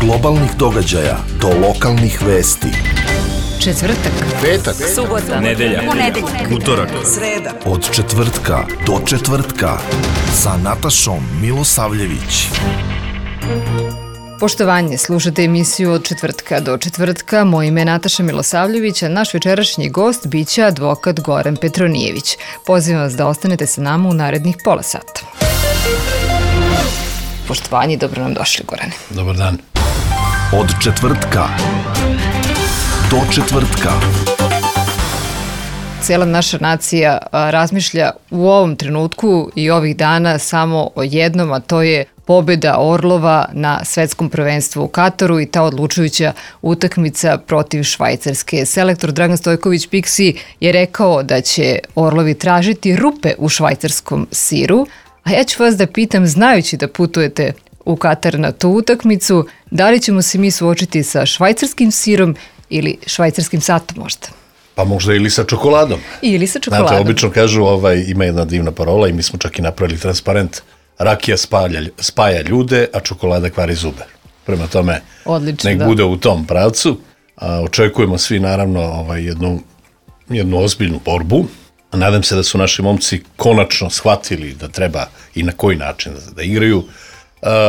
globalnih događaja do lokalnih vesti. Četvrtak, petak, subota, nedelja, utorak, sreda. Od četvrtka do četvrtka sa Natašom Milosavljević. Poštovanje, slušate emisiju Od četvrtka do četvrtka. Moje ime je Nataša Milosavljević, a naš večerašnji gost biće advokat Goran Petronijević. Pozivam vas da ostanete sa nama u narednih pola sata. Poštovanje, dobro nam došli, Gorane. Dobar dan. Od četvrtka do četvrtka. Cijela naša nacija razmišlja u ovom trenutku i ovih dana samo o jednom, a to je pobjeda Orlova na svetskom prvenstvu u Kataru i ta odlučujuća utakmica protiv Švajcarske. Selektor Dragan Stojković Piksi je rekao da će Orlovi tražiti rupe u švajcarskom siru, a ja ću vas da pitam, znajući da putujete u Katar na tu utakmicu, da li ćemo se mi suočiti sa švajcarskim sirom ili švajcarskim satom možda? Pa možda ili sa čokoladom. Ili sa čokoladom. Znate, obično kažu, ima jedna divna parola i mi smo čak i napravili transparent. Rakija spaja ljude, a čokolada kvari zube. Prema tome, odlično, nek bude u tom pravcu. Očekujemo svi naravno jednu ozbiljnu borbu. Nadam se da su naši momci konačno shvatili da treba i na koji način da igraju.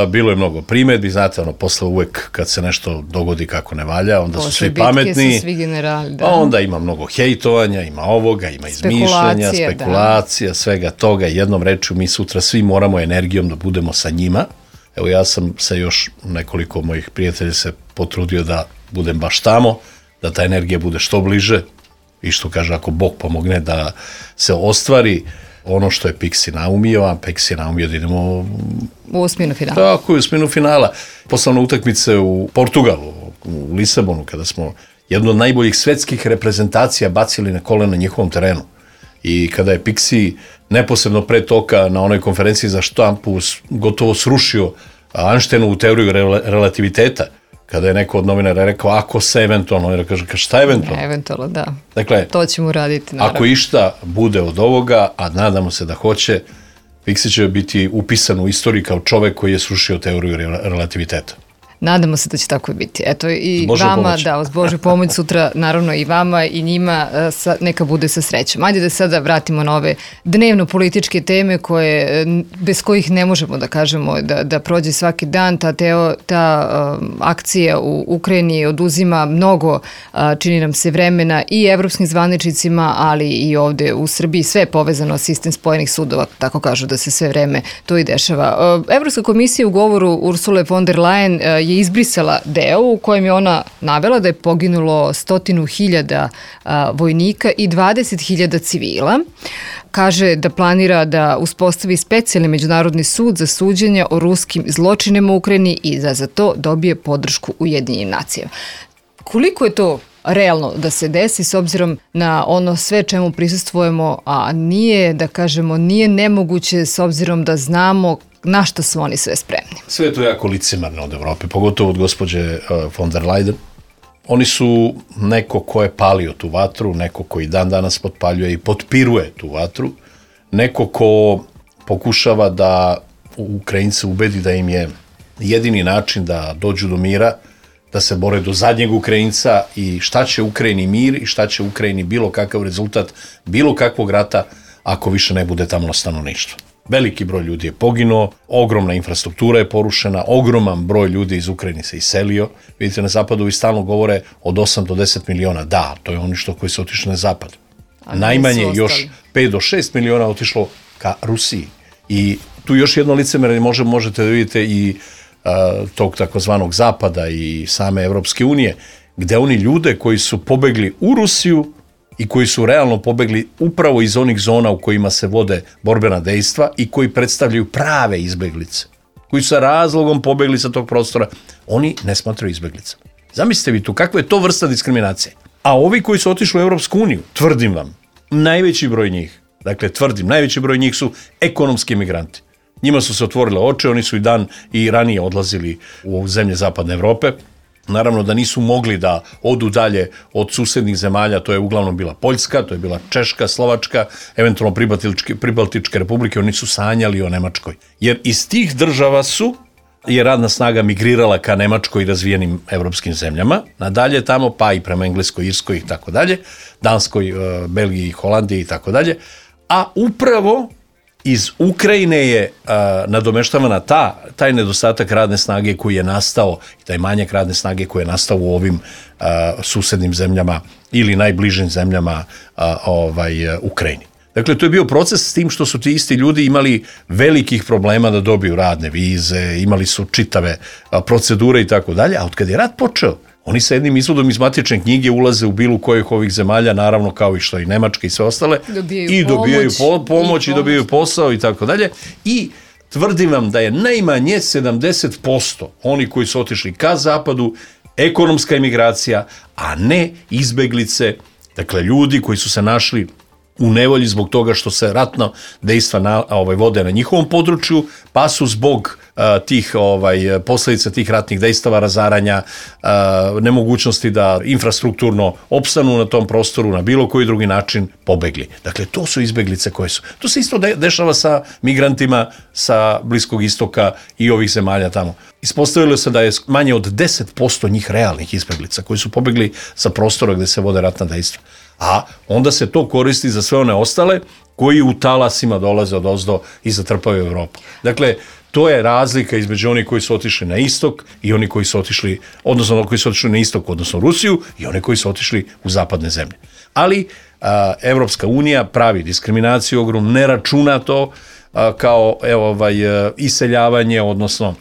Bilo je mnogo primjedbi, znate, posle uvek kad se nešto dogodi kako ne valja, onda su svi pametni, svi generali, da. Onda ima mnogo hejtovanja, ima ovoga, ima izmišljanja, spekulacija, svega toga. Jednom rečju, mi sutra svi moramo energijom da budemo sa njima. Evo, ja sam se još nekoliko mojih prijatelja se potrudio da budem baš tamo, da ta energija bude što bliže i što kaže, ako Bog pomogne da se ostvari ono što je Piksi naumio, a Piksi naumio da idemo u osminu finala. Tako, u osminu finala. Poslovne utakmice u Portugalu, u Lisabonu, kada smo jednu od najboljih svetskih reprezentacija bacili na kolena njihovom terenu. I kada je Piksi neposredno pre toga na onoj konferenciji za štampu gotovo srušio Einsteinovu teoriju relativiteta, kada je neko od novinara rekao, ako se eventualno, on kaže, šta eventualno? Eventualno, da. Dakle, to ćemo uraditi, naravno. Ako išta bude od ovoga, a nadamo se da hoće, Piksi će biti upisan u istoriji kao čovek koji je srušio teoriju relativiteta. Nadamo se da će tako biti. Eto, i Bože vama, pomoć. da, uz Božju pomoć sutra, naravno i vama i njima, neka bude sa srećom. Ajde da sada vratimo na ove dnevno-političke teme bez kojih ne možemo da kažemo da prođe svaki dan. Ta akcija u Ukrajini oduzima mnogo, čini nam se, vremena i evropskim zvaničnicima, ali i ovde u Srbiji. Sve je povezano s sistem spojenih sudova, tako kažu da se sve vreme to i dešava. Evropska komisija u govoru Ursule von der Leyen je izbrisala deo u kojem je ona navela da je poginulo 100.000 vojnika i 20.000 civila. Kaže da planira da uspostavi specijalni međunarodni sud za suđenje o ruskim zločinima u Ukrajini i da za to dobije podršku Ujedinjenih nacija. Koliko je to realno da se desi s obzirom na ono sve čemu prisustvujemo, a nije, da kažemo, nije nemoguće s obzirom da znamo na što su oni sve spremni? Sve je to jako licemerno od Evrope, pogotovo od gospođe von der Leyen. Oni su neko ko je palio tu vatru, neko koji dan danas potpaljuje i potpiruje tu vatru, neko ko pokušava da Ukrajince ubedi da im je jedini način da dođu do mira, da se bore do zadnjeg Ukrajinca i šta će Ukrajini mir i šta će Ukrajini bilo kakav rezultat, bilo kakvog rata ako više ne bude tamo stanovništvo. Veliki broj ljudi je poginuo, ogromna infrastruktura je porušena, ogroman broj ljudi iz Ukrajine se iselio. Vidite, na zapadu i stalno govore od 8 do 10 miliona. Da, to je ono koji su otišli na zapad. Najmanje još 5 do 6 miliona otišlo ka Rusiji. I tu još jedno licemerje možete da vidite i tog takozvanog zapada i same Evropske unije, gde oni ljude koji su pobegli u Rusiju i koji su realno pobegli upravo iz onih zona u kojima se vode borbena dejstva i koji predstavljaju prave izbeglice, koji su sa razlogom pobegli sa tog prostora, oni ne smatraju izbeglicama. Zamislite vi tu, kakva je to vrsta diskriminacije? A ovi koji su otišli u Evropsku uniju, tvrdim vam, najveći broj njih su ekonomski migranti. Njima su se otvorile oči, oni su i ranije odlazili u zemlje zapadne Evrope. Naravno da nisu mogli da odu dalje od susednih zemalja, to je uglavnom bila Poljska, to je bila Češka, Slovačka, eventualno Pribaltičke republike, oni su sanjali o Nemačkoj. Jer iz tih država su je radna snaga migrirala ka Nemačkoj i razvijenim evropskim zemljama, nadalje tamo, pa i prema Engleskoj, Irskoj i tako dalje, Danskoj, Belgiji, Holandiji i tako dalje, a upravo iz Ukrajine je nadomeštavana taj nedostatak radne snage koji je nastao, i taj manjak radne snage koji je nastao u ovim susednim zemljama ili najbližim zemljama Ukrajini. Dakle, to je bio proces s tim što su ti isti ljudi imali velikih problema da dobiju radne vize, imali su čitave procedure i tako dalje, a od kad je rat počeo, oni sa jednim izvodom iz matične knjige ulaze u bilo kojih ovih zemalja, naravno kao i što i Nemačka i sve ostale, dobijaju pomoć i dobijaju posao i tako dalje. I tvrdim vam da je najmanje 70% oni koji su otišli ka zapadu ekonomska emigracija, a ne izbeglice, dakle ljudi koji su se našli u nevolji zbog toga što se ratno dejstva vode na njihovom području, pa su zbog tih posljedica tih ratnih dejstava, razaranja, nemogućnosti da infrastrukturno opstanu na tom prostoru na bilo koji drugi način pobegli. Dakle, to su izbeglice koje su. To se isto dešava sa migrantima sa Bliskog istoka i ovih zemalja tamo. Ispostavilo se da je manje od 10% njih realnih izbeglica koji su pobegli sa prostora gde se vode ratna dejstva. A onda se to koristi za sve one ostale koji u talasima dolaze odozdo i zatrpaju Evropu. Dakle, to je razlika između onih koji su otišli na istok i oni koji su otišli, odnosno oni koji su otišli na istok, odnosno Rusiju, i oni koji su otišli u zapadne zemlje. Ali Evropska unija pravi diskriminaciju ogrom, ne računa to kao iseljavanje, odnosno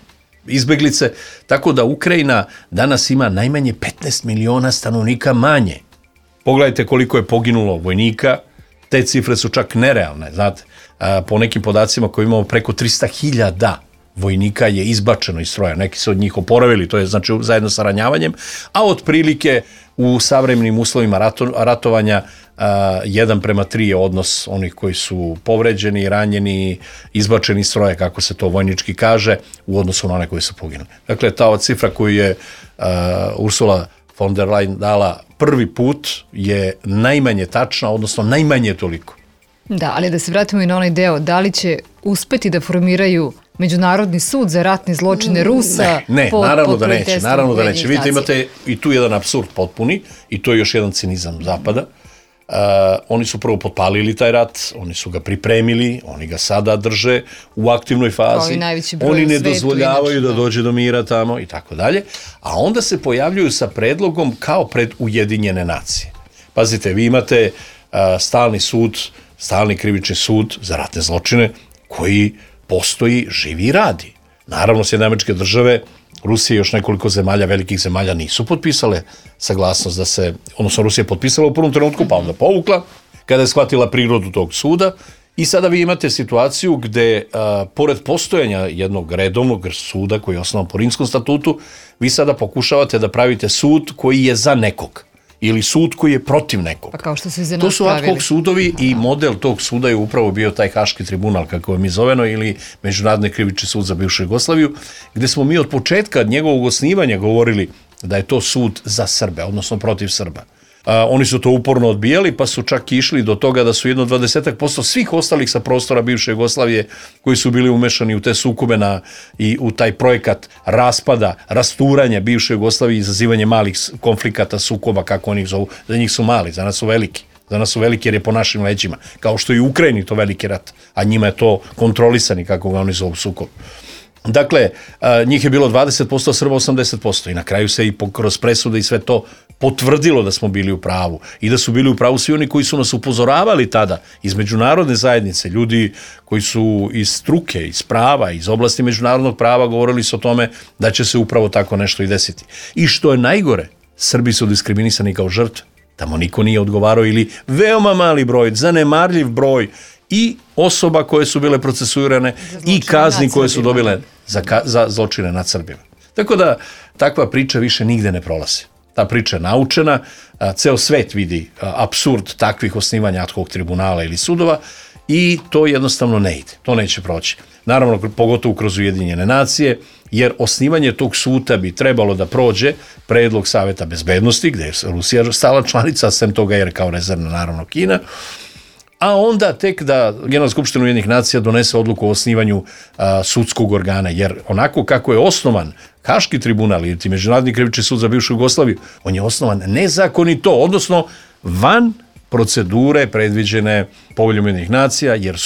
izbeglice, tako da Ukrajina danas ima najmanje 15 miliona stanovnika manje. Pogledajte koliko je poginulo vojnika, te cifre su čak nerealne, znate, po nekim podacima koji imamo preko 300.000 vojnika je izbačeno iz stroja, neki su od njih oporavili, to je znači zajedno sa ranjavanjem, a otprilike u savremenim uslovima ratovanja 1:3 je odnos onih koji su povređeni, ranjeni, izbačeni iz stroja, kako se to vojnički kaže, u odnosu na one koji su poginuli. Dakle, ta cifra koju je Ursula von der Leyen dala prvi put je najmanje tačna, odnosno najmanje toliko. Da, ali da se vratimo i na onaj deo, da li će uspeti da formiraju Međunarodni sud za ratne zločine Rusa? Ne, naravno da neće. Vidite, imate i tu jedan apsurd potpuni i to je još jedan cinizam Zapada. Oni su prvo potpalili taj rat, oni su ga pripremili, oni ga sada drže u aktivnoj fazi, oni ne dozvoljavaju da dođe do mira tamo i tako dalje, a onda se pojavljuju sa predlogom kao pred Ujedinjene nacije. Pazite, vi imate stalni sud, stalni krivični sud za ratne zločine koji postoji, živi i radi. Naravno, Sjedinjene Američke Države, Rusija i još nekoliko zemalja, velikih zemalja, nisu potpisale saglasnost da se, odnosno Rusija je potpisala u prvom trenutku, pa onda povukla, kada je shvatila prirodu tog suda, i sada vi imate situaciju gde, pored postojanja jednog redovnog suda koji je osnovan po Rimskom statutu, vi sada pokušavate da pravite sud koji je za nekog, ili sud koji je protiv nekog. Pa kao što su za nas to su ad hoc sudovi i model tog suda je upravo bio taj Haški tribunal, kako je mi zoveno, ili Međunarodni krivični sud za bivšu Jugoslaviju, gde smo mi od početka njegovog osnivanja govorili da je to sud za Srbe, odnosno protiv Srba. Oni su to uporno odbijali, pa su čak išli do toga da su 20% svih ostalih sa prostora bivše Jugoslavije koji su bili umešani u te sukobe i u taj projekat raspada, rasturanja bivše Jugoslavije, izazivanje malih konflikata, sukoba, kako oni ih zovu. Za njih su mali, za nas su veliki. Za nas su veliki jer je po našim leđima. Kao što i u Ukrajini to veliki rat, a njima je to kontrolisani, kako ga oni zovu, sukob. Dakle, njih je bilo 20%, Srba 80%, i na kraju se i kroz presude i sve to potvrdilo da smo bili u pravu i da su bili u pravu svi oni koji su nas upozoravali tada iz međunarodne zajednice, ljudi koji su iz struke, iz prava, iz oblasti međunarodnog prava, govorili su o tome da će se upravo tako nešto i desiti. I što je najgore, Srbi su diskriminisani kao žrtve, tamo niko nije odgovarao ili veoma mali broj, zanemarljiv broj i osoba koje su bile procesuirane i kazni koje su dobile za zločine nad Srbima. Tako da takva priča više nigde ne prolazi. Ta priča je naučena, ceo svet vidi apsurd takvih osnivanja ad hoc tribunala ili sudova i to jednostavno ne ide, to neće proći. Naravno, pogotovo kroz Ujedinjene nacije, jer osnivanje tog suda bi trebalo da prođe predlog Saveta bezbednosti, gde je Rusija stala članica, sem toga jer kao rezervna naravno Kina, a onda tek da Generalna skupština Ujedinjenih nacija donese odluku o osnivanju sudskog organa, jer onako kako je osnovan Haški tribunal ili Međunarodni krivični sud za bivšu Jugoslaviju, on je osnovan nezakonito, odnosno van procedure predviđene Poveljom Ujedinjenih nacija, jer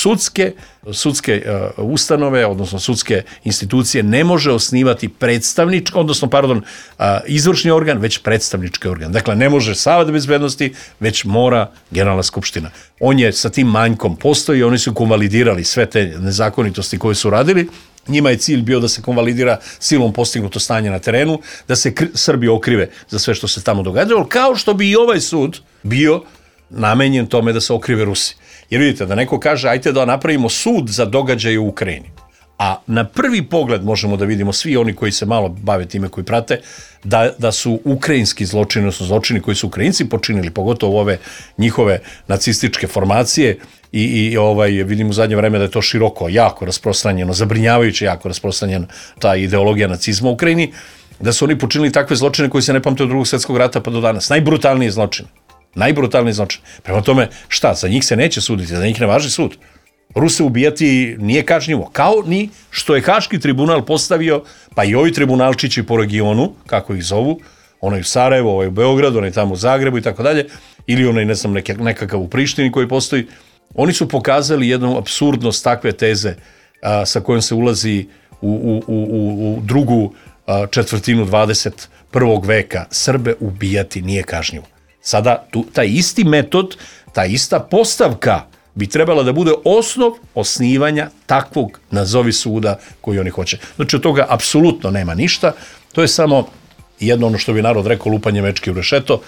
sudske ustanove, odnosno sudske institucije ne može osnivati izvršni organ, već predstavnički organ. Dakle, ne može Savet bezbednosti, već mora Generalna skupština. On je sa tim manjkom postoji, oni su konvalidirali sve te nezakonitosti koje su radili. Njima je cilj bio da se konvalidira silom postignuto stanje na terenu, da se Srbi okrive za sve što se tamo događalo, kao što bi i ovaj sud bio namenjen tome da se okrive Rusi. Jer vidite, da neko kaže, ajte da napravimo sud za događaje u Ukrajini. A na prvi pogled možemo da vidimo, svi oni koji se malo bave time, koji prate, da su ukrajinski zločini, odnosno zločini koji su Ukrajinci počinili, pogotovo ove njihove nacističke formacije, i vidim u zadnje vreme da je to široko, jako rasprostranjeno, zabrinjavajuće jako rasprostranjena ta ideologija nacizma u Ukrajini, da su oni počinili takve zločine koji se ne pamte od Drugog svjetskog rata pa do danas. Najbrutalniji zločin. Prema tome, šta, za njih se neće suditi, za njih ne važi sud. Ruse ubijati nije kažnjivo, kao ni što je Haški tribunal postavio, pa i ovi tribunalčići po regionu, kako ih zovu, onaj u Sarajevu, ovaj u Beogradu, onaj tamo u Zagrebu i tako dalje, ili onaj, ne znam, nekakav u Prištini koji postoji, oni su pokazali jednu apsurdnost takve teze sa kojom se ulazi u drugu četvrtinu 21. veka. Srbe ubijati nije kažnjivo. Sada taj isti metod, ta ista postavka bi trebala da bude osnov osnivanja takvog nazovi suda koji oni hoće. Znači od toga apsolutno nema ništa, to je samo jedno ono što bi narod rekao lupanje mečke u rešeto.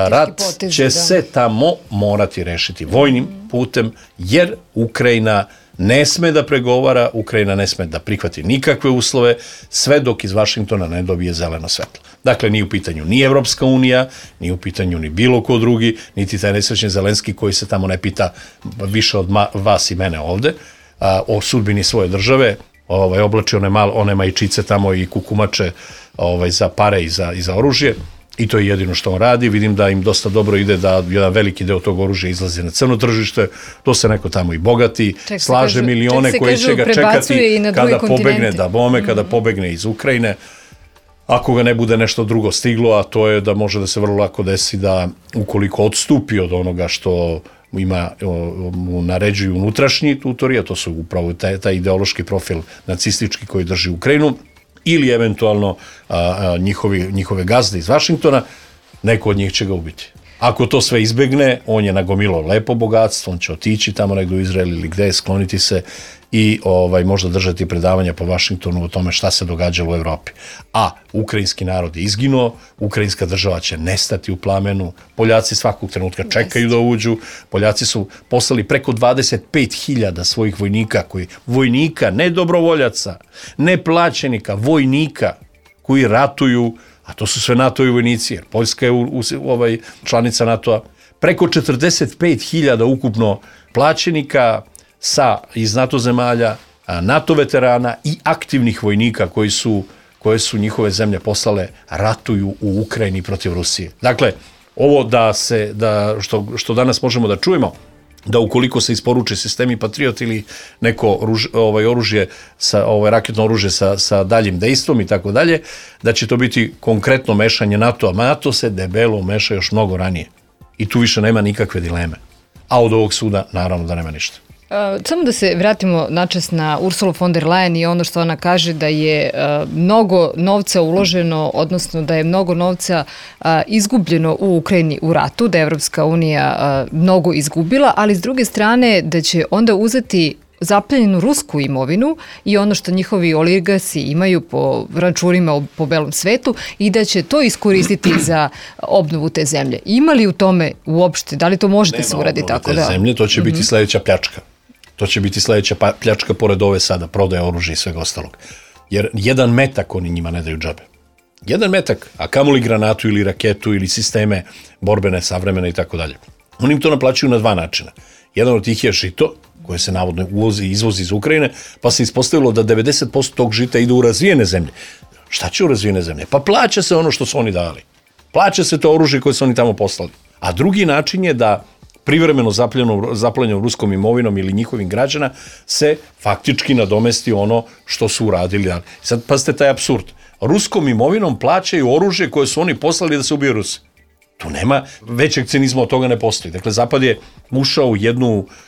Rat će se tamo morati rešiti vojnim putem, jer Ukrajina ne sme da pregovara, Ukrajina ne sme da prihvati nikakve uslove, sve dok iz Vašingtona ne dobije zeleno svetlo. Dakle, nije u pitanju ni Evropska unija, nije u pitanju ni bilo ko drugi, niti taj nesrećni Zelenski koji se tamo ne pita više od vas i mene ovde, o sudbini svoje države, oblači one majčice tamo i kukumače za pare i za oružje. I to je jedino što on radi. Vidim da im dosta dobro ide da jedan veliki deo tog oružja izlazi na crno tržište, to se neko tamo i bogati, slaže milione koji će ga čekati kada pobegne kada pobegne iz Ukrajine. Ako ga ne bude nešto drugo stiglo, a to je da može da se vrlo lako desi da ukoliko odstupi od onoga što mu naređuju unutrašnji tutori, a to su upravo taj ideološki profil nacistički koji drži Ukrajinu, ili eventualno njihove gazde iz Vašingtona, neko od njih će ga ubiti. Ako to sve izbegne, on je nagomilo lepo bogatstvo, on će otići tamo negdje u Izrael ili gde, skloniti se i možda držati predavanja po Vašingtonu o tome šta se događalo u Evropi. A ukrajinski narod je izginuo, ukrajinska država će nestati u plamenu, Poljaci svakog trenutka čekaju da uđu, Poljaci su poslali preko 25.000 svojih vojnika, ne dobrovoljaca, ne plaćenika, vojnika koji ratuju, a to su sve NATO-ovi vojnici, jer Poljska je članica NATO-a, preko 45.000 ukupno plaćenika iz NATO zemalja, NATO veterana i aktivnih vojnika koje su njihove zemlje poslale, ratuju u Ukrajini protiv Rusije. Dakle, ovo što danas možemo da čujemo, da ukoliko se isporuče sistemi Patriot ili neko oružje, raketno oružje sa daljim dejstvom i tako dalje, da će to biti konkretno mešanje NATO-a. NATO se debelo meša još mnogo ranije i tu više nema nikakve dileme. A od ovog suda naravno da nema ništa. Samo da se vratimo načas na Ursulu von der Leyen i ono što ona kaže da je mnogo novca uloženo, odnosno da je mnogo novca izgubljeno u Ukrajini u ratu, da je Evropska unija mnogo izgubila, ali s druge strane da će onda uzeti zaplenjenu rusku imovinu i ono što njihovi oligarsi imaju po računima po belom svetu i da će to iskoristiti za obnovu te zemlje. Ima li u tome uopšte, da li to možete se uraditi tako? Nema zemlje, to će biti sledeća pljačka. To će biti sledeća pljačka pored ove sada, prodaje oružja i svega ostalog. Jer jedan metak oni njima ne daju džabe. Jedan metak, a kamoli granatu ili raketu ili sisteme borbene, savremene i tako dalje. Oni im to naplaćuju na dva načina. Jedan od tih je žito, koje se navodno uvozi i izvozi iz Ukrajine, pa se ispostavilo da 90% tog žita ide u razvijene zemlje. Šta će u razvijene zemlje? Pa plaća se ono što su oni dali. Plaća se to oružje koje su oni tamo poslali. A drugi način je da privremeno zaplenjenom ruskom imovinom ili njihovim građana se faktički nadomesti ono što su uradili. Sad pazite taj apsurd. Ruskom imovinom plaćaju oružje koje su oni poslali da se ubiju Rusi. Tu nema većeg cinizma, od toga ne postoji. Dakle, Zapad je ušao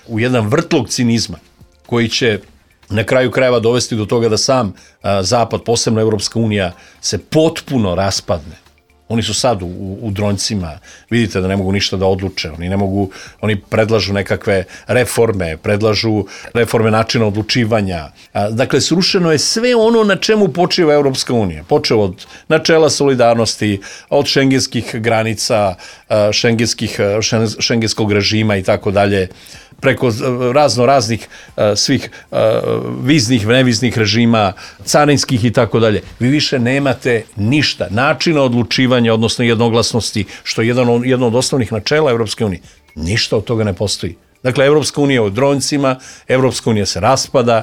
u jedan vrtlog cinizma koji će na kraju krajeva dovesti do toga da sam Zapad, posebno Evropska unija, se potpuno raspadne. Oni su sad u dronjcima, vidite da ne mogu ništa da odluče, oni predlažu nekakve reforme, predlažu reforme načina odlučivanja. Dakle, srušeno je sve ono na čemu počiva Evropska unija. Počeo od načela solidarnosti, od šengenskih granica, šengenskog režima i tako dalje, preko raznih svih viznih, neviznih režima, carinskih i tako dalje. Vi više nemate ništa. Načina odlučivanja, odnosno jednoglasnosti, što je jedno od osnovnih načela Evropske unije. Ništa od toga ne postoji. Dakle, Evropska unija je u dronjcima, Evropska unija se raspada,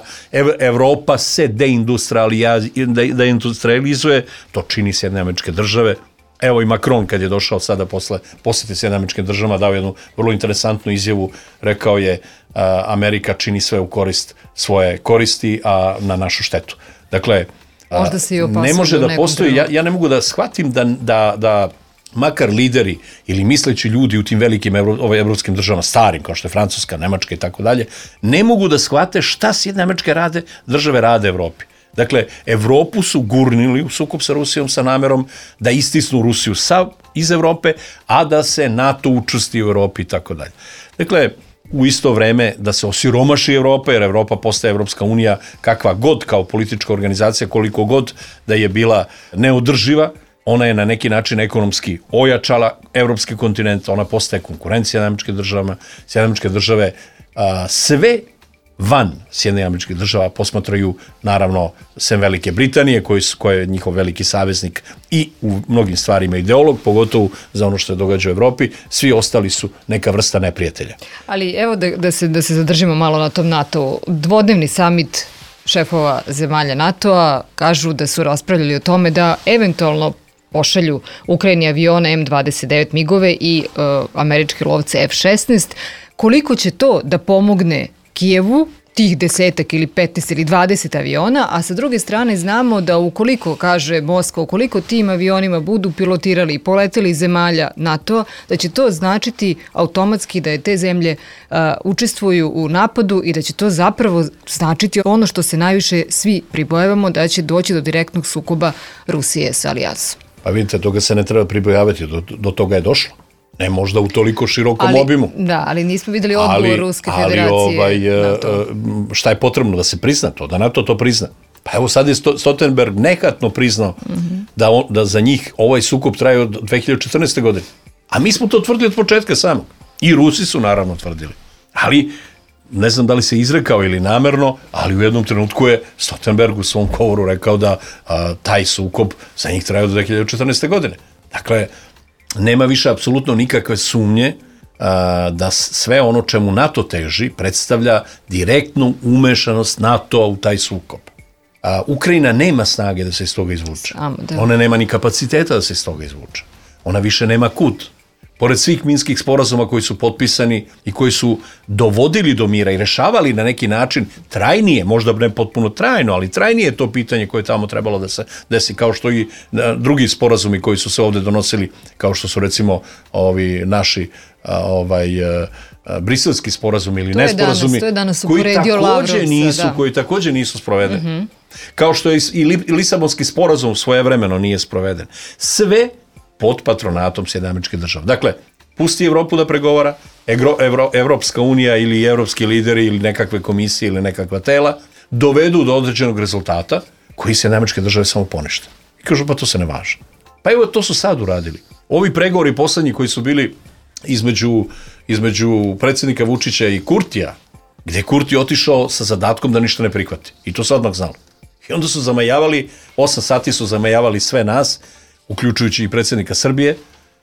Evropa se deindustrializuje, to čini Sjedinjene Američke Države. Evo i Macron kad je došao sada posle posete Sjedinjenim Američkim Državama dao jednu vrlo interesantnu izjavu, rekao je Amerika čini sve u korist svoje koristi, a na našu štetu. Dakle, ne može da postoji, ja ne mogu da shvatim da makar lideri ili misleći ljudi u tim velikim evropskim državama, starim kao što je Francuska, Nemačka i tako dalje, ne mogu da shvate šta Sjedinjene Američke Države rade Evropi. Dakle, Evropu su gurnili u sukob sa Rusijom sa namerom da istisnu Rusiju iz Evrope, a da se NATO učvrsti u Evropi i tako dalje. Dakle, u isto vreme da se osiromaši Evropa, jer Evropa postaje Evropska unija kakva god kao politička organizacija, koliko god da je bila neodrživa, ona je na neki način ekonomski ojačala evropski kontinent, ona postaje konkurencija Sjedinjenim Američkim Državama. Sjedinjene Američke Države sve van Sjedinjenih Američkih Država posmatraju, naravno, sem Velike Britanije, koja je njihov veliki saveznik i u mnogim stvarima ideolog, pogotovo za ono što se događa u Evropi, svi ostali su neka vrsta neprijatelja. Ali evo da se zadržimo malo na tom NATO-u. Dvodnevni samit šefova zemalja NATO-a kažu da su raspravljali o tome da eventualno pošalju Ukrajini avione M29 migove i američke lovce F-16. Koliko će to da pomogne Kijevu, tih 10 ili 15 ili 20 aviona, a sa druge strane znamo da ukoliko, kaže Moskva, ukoliko tim avionima budu pilotirali i poleteli iz zemalja NATO, da će to značiti automatski da je te zemlje učestvuju u napadu i da će to zapravo značiti ono što se najviše svi pribojavamo, da će doći do direktnog sukoba Rusije sa alijansom. Pa vidite, toga se ne treba pribojavati, do toga je došlo. Ne možda u toliko širokom obimu. Da, ali nismo videli odgovor Ruske federacije. Šta je potrebno da se prizna to, da NATO to prizna? Pa evo sad je Stoltenberg nehatno priznao da za njih ovaj sukob traje od 2014. godine. A mi smo to tvrdili od početka samog. I Rusi su naravno tvrdili. Ali ne znam da li se izrekao ili namerno, ali u jednom trenutku je Stoltenberg u svom govoru rekao da taj sukob za njih traje od 2014. godine. Dakle, nema više apsolutno nikakve sumnje da sve ono čemu NATO teži predstavlja direktnu umešanost NATO-a u taj sukob. Ukrajina nema snage da se iz toga izvuče. Ona nema ni kapaciteta da se iz toga izvuče. Ona više nema kud. Pored svih minskih sporazuma koji su potpisani i koji su dovodili do mira i rešavali na neki način trajnije, možda ne potpuno trajno, ali trajnije je to pitanje koje je tamo trebalo da se desi, kao što i drugi sporazumi koji su se ovde donosili, kao što su recimo ovi naši briselski sporazumi ili nesporazumi, koji takođe nisu sprovedeni. Kao što je i Lisabonski sporazum svojevremeno nije sproveden. Sve pod patronatom Sjedinjenih Američkih Država. Dakle, pusti Evropu da pregovara, Evropska unija ili evropski lideri ili nekakve komisije ili nekakva tela dovedu do određenog rezultata koji Sjedinjene Američke Države samo ponište. I kažu, pa to se ne važi. Pa evo, to su sad uradili. Ovi pregovori poslednji koji su bili između predsjednika Vučića i Kurtija, gde je Kurti otišao sa zadatkom da ništa ne prihvati. I to se odmah znalo. I onda su zamajavali, 8 sati su zamajavali sve nas, uključujući i predsjednika Srbije,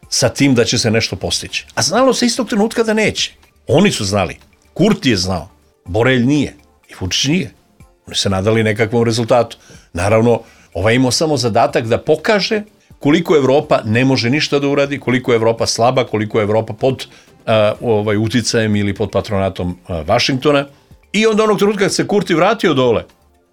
sa tim da će se nešto postići. A znalo se istog trenutka da neće. Oni su znali. Kurti je znao. Borelj nije. I Vučić nije. Oni se nadali nekakvom rezultatu. Naravno, ovaj imao samo zadatak da pokaže koliko Evropa ne može ništa da uradi, koliko je Evropa slaba, koliko je Evropa pod uticajem ili pod patronatom Vašingtona. I onda onog trenutka kad se Kurti vratio dole,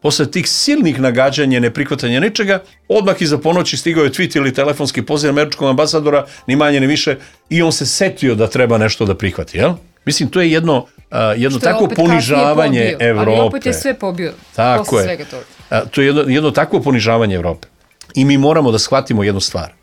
posle tih silnih nagađanja, neprihvatanja ničega, odmah iza ponoći stigao je tweet ili telefonski poziv američkog ambasadora, ni manje ni više, i on se setio da treba nešto da prihvati, jel? Mislim, to je jedno takvo ponižavanje Evrope. Ali opet je sve pobio. Tako je. To je jedno takvo ponižavanje Evrope. I mi moramo da shvatimo jednu stvar.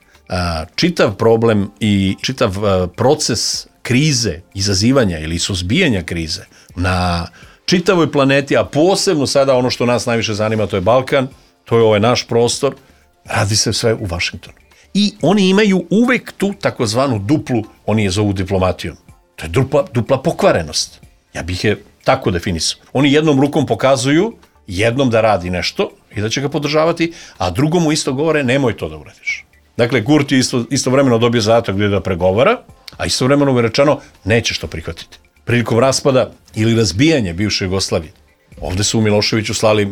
Čitav problem i čitav proces krize, izazivanja ili suzbijanja krize na čitavoj planeti, a posebno sada ono što nas najviše zanima, to je Balkan, to je ovaj naš prostor, radi se sve u Vašingtonu. I oni imaju uvek tu takozvanu duplu, oni je zovu diplomatijom. To je dupla pokvarenost. Ja bih je tako definisao. Oni jednom rukom pokazuju, jednom da radi nešto i da će ga podržavati, a drugom mu isto govore, nemoj to da uradiš. Dakle, Kurti je istovremeno dobio zadatak da pregovara, a istovremeno mu je rečeno, nećeš to prihvatiti. Prilikom raspada ili razbijanja bivše Jugoslavije, ovde su u Miloševiću slali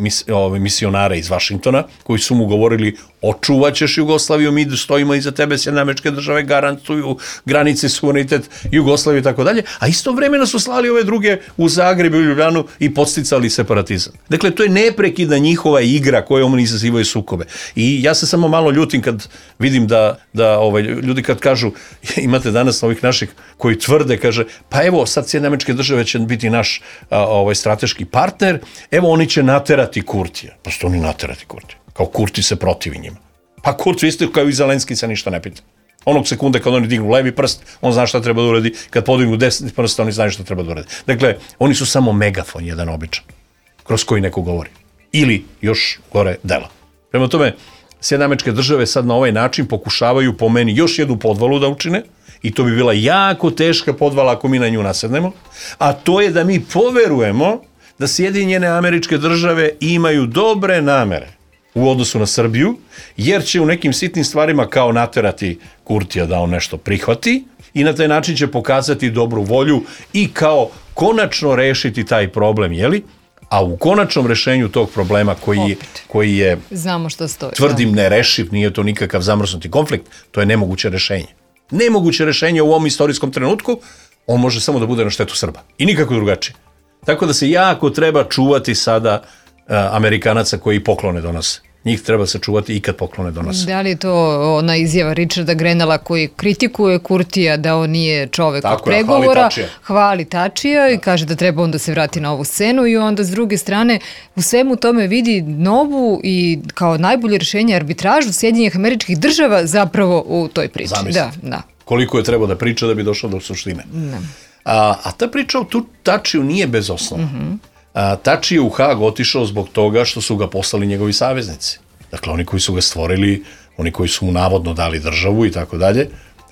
misionare iz Vašingtona, koji su mu govorili, očuvaćeš Jugoslaviju, mi stojimo iza tebe, Sjedinjene Američke Države garantuju granice, suverenitet Jugoslavije i tako dalje, a istovremeno su slali ove druge u Zagreb i u Ljubljanu i podsticali separatizam. Dakle, to je neprekidna njihova igra kojom oni izazivaju sukobe. I ja se samo malo ljutim kad vidim da ljudi kad kažu, imate danas ovih naših koji tvrde, kaže, pa evo sad Sjedinjene Američke Države će biti naš strateški partner, evo oni će naterati Kurtija. Pa što oni naterati Kurtija? Kao Kurti se protivi njima. Pa Kurti isto kao i Zelenski se ništa ne pita. Onog sekunde kad oni dignu levi prst, on zna šta treba da uradi, kad podignu desni prst, oni znaju šta treba da uradi. Dakle, oni su samo megafon jedan običan, kroz koji neko govori. Ili, još gore, dela. Prema tome, Sjedinjene Američke Države sad na ovaj način pokušavaju po meni još jednu podvalu da učine, i to bi bila jako teška podvala ako mi na nju nasednemo, a to je da mi poverujemo da Sjedinjene Američke Države imaju dobre namere u odnosu na Srbiju, jer će u nekim sitnim stvarima kao naterati Kurtija da on nešto prihvati i na taj način će pokazati dobru volju i kao konačno rešiti taj problem, jeli? A u konačnom rešenju tog problema koji je, znamo što stoji, tvrdim, nerešiv, nije to nikakav zamrznuti konflikt, to je nemoguće rešenje. Nemoguće rešenje u ovom istorijskom trenutku, on može samo da bude na štetu Srba. I nikako drugačije. Tako da se jako treba čuvati sada Amerikanaca koji poklone donose. Njih treba se čuvati i kad poklone donose. Da li je to ona izjava Richarda Grenella koji kritikuje Kurtija da on nije čovek od pregovora, hvali Tačija i kaže da treba on da se vrati na ovu scenu, i onda s druge strane u svemu tome vidi novu i kao najbolje rješenje arbitražu Sjedinjenih Američkih Država zapravo u toj priči. Da. Koliko je trebao da priča da bi došao do suštine. A ta priča o Tačiju nije bez osnova. Tači je u Hag otišao zbog toga što su ga poslali njegovi saveznici. Dakle, oni koji su ga stvorili, oni koji su mu navodno dali državu i tako dalje,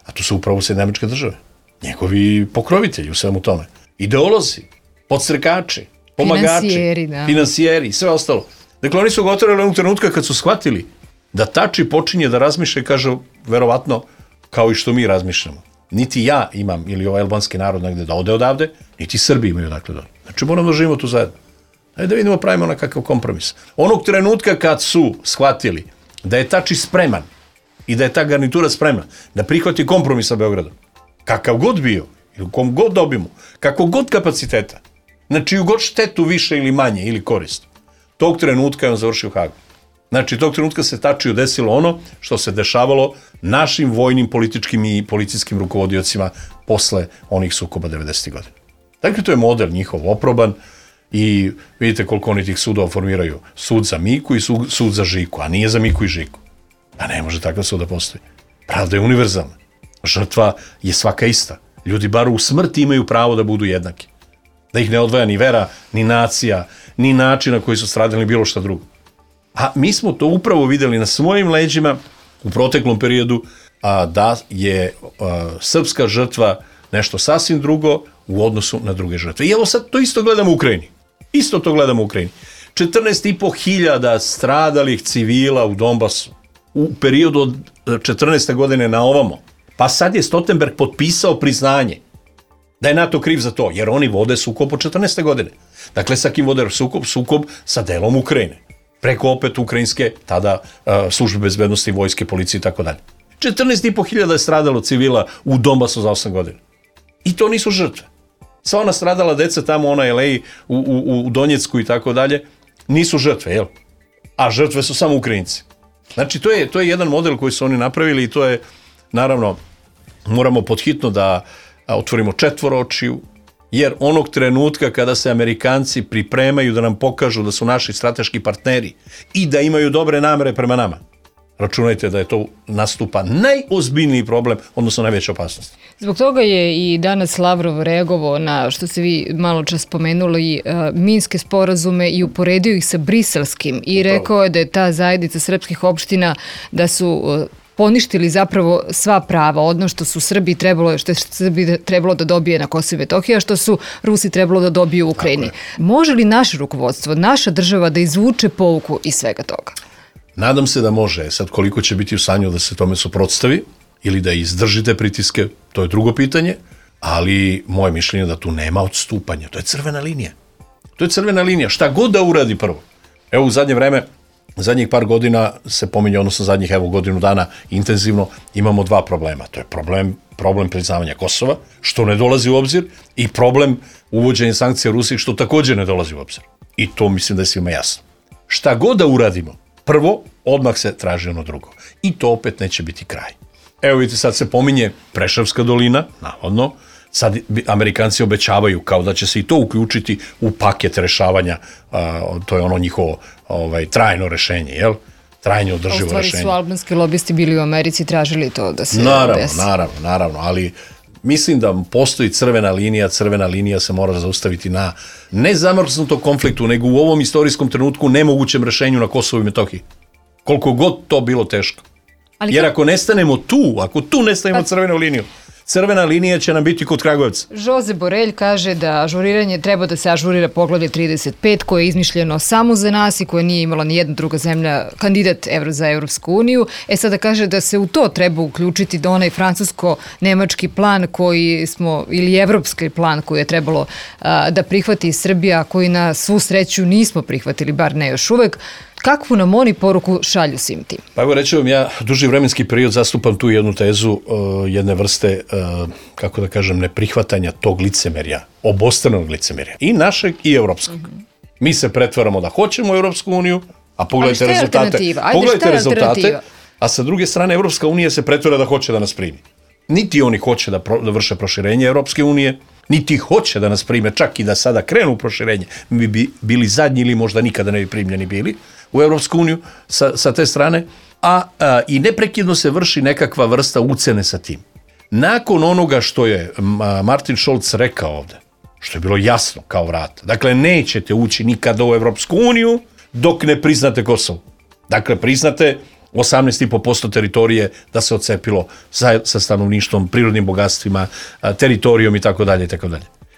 a to su upravo Sjedinjene Američke Države. Njegovi pokrovitelji u svemu tome. Ideolozi, podstrekači, pomagači, finansijeri i sve ostalo. Dakle, oni su ga otvorili onog trenutka kad su shvatili da Tači počinje da razmišlja i kaže, verovatno, kao i što mi razmišljamo. Niti ja imam, ili ovaj albanski narod negde da ode odavde, niti Srbi imaju dakle da ode. Znači moramo da živimo tu zajedno. Ajde da vidimo, pravimo nekakav kompromis. Onog trenutka kad su shvatili da je Tači spreman i da je ta garnitura spremna da prihvati kompromis sa Beogradom, kakav god bio, ili kom god dobimo, kako god kapaciteta, znači u god štetu više ili manje ili korist, tog trenutka je on završio u Hagu. Znači, tog trenutka se Tačiju desilo ono što se dešavalo našim vojnim, političkim i policijskim rukovodiocima posle onih sukoba 90. godina. Dakle, to je model njihov oproban i vidite koliko oni tih sudova formiraju. Sud za Miku i sud za Žiku, a nije za Miku i Žiku. A ne može takav sud da postoji. Pravda je univerzalna. Žrtva je svaka ista. Ljudi bar u smrti imaju pravo da budu jednaki. Da ih ne odvaja ni vera, ni nacija, ni način na koji su stradali, bilo šta drugo. A mi smo to upravo videli na svojim leđima u proteklom periodu, da je srpska žrtva nešto sasvim drugo u odnosu na druge žrtve. I evo sad to isto gledamo u Ukrajini. 14.500 stradalih civila u Donbasu u periodu od 14. godine na ovamo. Pa sad je Stoltenberg potpisao priznanje da je NATO kriv za to, jer oni vode sukob od 14. godine. Dakle, sa kim vode sukob sa delom Ukrajine. Preko opet ukrajinske, tada službe bezbednosti, vojske, policije i tako dalje. 14.500 je stradalo civila u Donbasu za 8 godina. I to nisu žrtve. Sva ona stradala deca tamo, ona LA, u Donjecku i tako dalje, nisu žrtve, jel? A žrtve su samo Ukrajinci. Znači, to je jedan model koji su oni napravili i to je, naravno, moramo podhitno da otvorimo četvoročiju, jer onog trenutka kada se Amerikanci pripremaju da nam pokažu da su naši strateški partneri i da imaju dobre namere prema nama, računajte da je to nastupa najozbiljniji problem, odnosno najveća opasnost. Zbog toga je i danas Lavrov reagovao na, što ste vi malo čas spomenuli, minske sporazume i uporedio ih sa briselskim i rekao je da je ta zajednica srpskih opština da su poništili zapravo sva prava, odnosno što su Srbi trebalo da dobije na Kosovo i Metohiji, a što su Rusi trebalo da dobiju u Ukrajini. Može li naše rukovodstvo, naša država da izvuče pouku iz svega toga? Nadam se da može. Sad koliko će biti u stanju da se tome suprotstavi ili da izdržite pritiske, to je drugo pitanje, ali moje mišljenje je da tu nema odstupanja. To je crvena linija. To je crvena linija. Šta god da uradi prvo. Evo u zadnje vreme, zadnjih par godina se pominje, odnosno zadnjih godinu dana intenzivno imamo dva problema. To je problem priznavanja Kosova, što ne dolazi u obzir, i problem uvođenja sankcija Rusiji, što također ne dolazi u obzir. I to mislim da je svima jasno. Šta god da uradimo, prvo, odmah se traži ono drugo. I to opet neće biti kraj. Evo vidite, sad se pominje Preševska dolina, navodno, sad Amerikanci obećavaju kao da će se i to uključiti u paket rešavanja, to je ono njihovo trajno rešenje, jel? Trajno održivo rešenje. U stvari su albanski lobisti bili u Americi, tražili to da se desi. Naravno, ali mislim da postoji crvena linija se mora zaustaviti na ne zamrznutom konfliktu, nego u ovom istorijskom trenutku nemogućem rešenju na Kosovu i Metohiji. Koliko god to bilo teško. Jer ako nestanemo tu, ako tu nestanemo crvenu liniju, crvena linija će nam biti kod Kragujevca. Jose Borelj kaže da ažuriranje treba da se ažurira poglavlje 35 koje je izmišljeno samo za nas i koje nije imala ni jedna druga zemlja kandidat za Evropsku uniju. Sada kaže da se u to treba uključiti da onaj francusko-nemački plan koji smo, ili evropski plan koji je trebalo da prihvati Srbija, koji na svu sreću nismo prihvatili, bar ne još uvek. Kakvu nam oni poruku šalju svim tim? Pa evo reći vam, ja duži vremenski period zastupam tu jednu tezu jedne vrste, kako da kažem, neprihvatanja tog licemerja, obostranog licemerja, i našeg i evropskog. Mi se pretvaramo da hoćemo Evropsku uniju, a pogledajte rezultate, a sa druge strane Evropska unija se pretvara da hoće da nas primi. Niti oni hoće da vrše proširenje Evropske unije, niti hoće da nas prime, čak i da sada krenu u proširenje. Mi bi bili zadnji ili možda nikada ne bi primljeni bili u Evropsku uniju sa te strane, i neprekidno se vrši nekakva vrsta ucene sa tim. Nakon onoga što je Martin Scholz rekao ovde, što je bilo jasno kao vrata, dakle nećete ući nikada u Evropsku uniju dok ne priznate Kosovo. Dakle, priznate 18,5% teritorije da se odcepilo sa stanovništvom, prirodnim bogatstvima, teritorijom i tako dalje.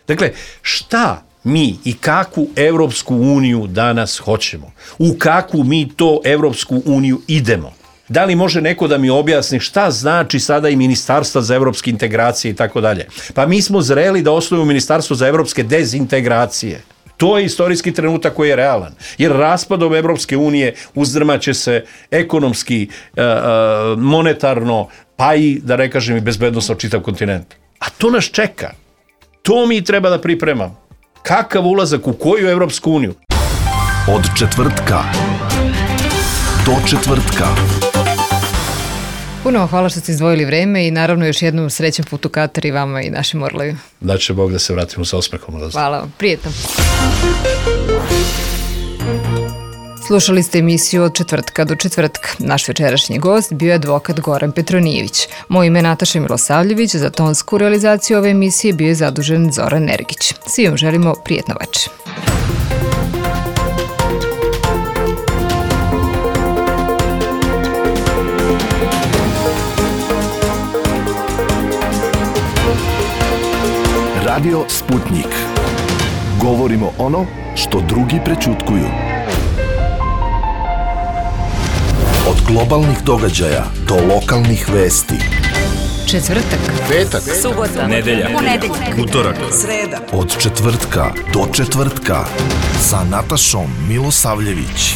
Dakle, šta mi i kakvu Evropsku uniju danas hoćemo? U kakvu mi to Evropsku uniju idemo? Da li može neko da mi objasni šta znači sada i Ministarstva za evropske integracije i tako dalje? Pa mi smo zreli da osnovimo Ministarstvo za evropske dezintegracije. To je istorijski trenutak koji je realan. Jer raspadom Evropske unije uzdrmaće se ekonomski, monetarno, pa i, da ne kažem, i bezbednosno čitav kontinent. A to nas čeka. To mi treba da pripremamo. Kakav ulazak u koju Evropsku uniju? Od četvrtka do četvrtka. Puno hvala što ste izdvojili vreme i naravno još jednom srećan put u Katar i vama i našim Orlovima. Da će Bog da se vratimo sa osmehom. Hvala vam, prijetno. Slušali ste emisiju Od četvrtka do četvrtka. Naš večerašnji gost bio je advokat Goran Petronijević. Moje ime je Nataša Milosavljević, za tonsku realizaciju ove emisije bio je zadužen Zoran Nergić. Svi vam želimo prijetno večer. Radio Sputnik. Govorimo ono što drugi prećutkuju. Od globalnih događaja do lokalnih vesti. Četvrtak, petak, subota, nedelja, utorak, sreda. Od četvrtka do četvrtka sa Natašom Milosavljević.